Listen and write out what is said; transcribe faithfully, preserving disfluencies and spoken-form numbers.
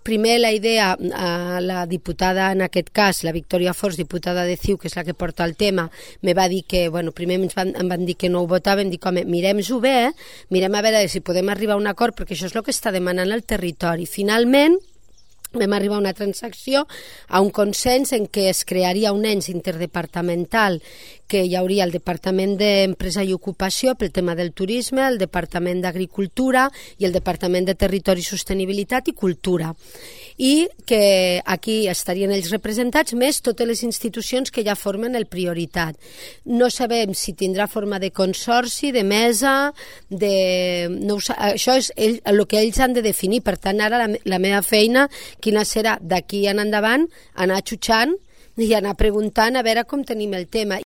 primer la idea, a la diputada en aquest cas, la Victòria Forns, diputada de C I U, que és la que porta el tema, me va dir que, bueno, primer ens van, em van dir que no ho votaven, dic, home, mirem-ho bé, mirem a veure si podem arribar a un acord, perquè això és el que està demanant el territori. Finalment, vam arribar a una transacció, a un consens en què es crearia un ens interdepartamental, que hi hauria el Departament d'Empresa i Ocupació pel tema del turisme, el Departament d'Agricultura i el Departament de Territori i Sostenibilitat i Cultura. I que aquí estarien ells representats, més totes les institucions que ja formen el Prioritat. No sabem si tindrà forma de consorci, de mesa, de... No ho sa... Això és ell, el que ells han de definir. Per tant, ara la, la meva feina, quina serà d'aquí en endavant, anar xutxant i anar preguntant a veure com tenim el tema.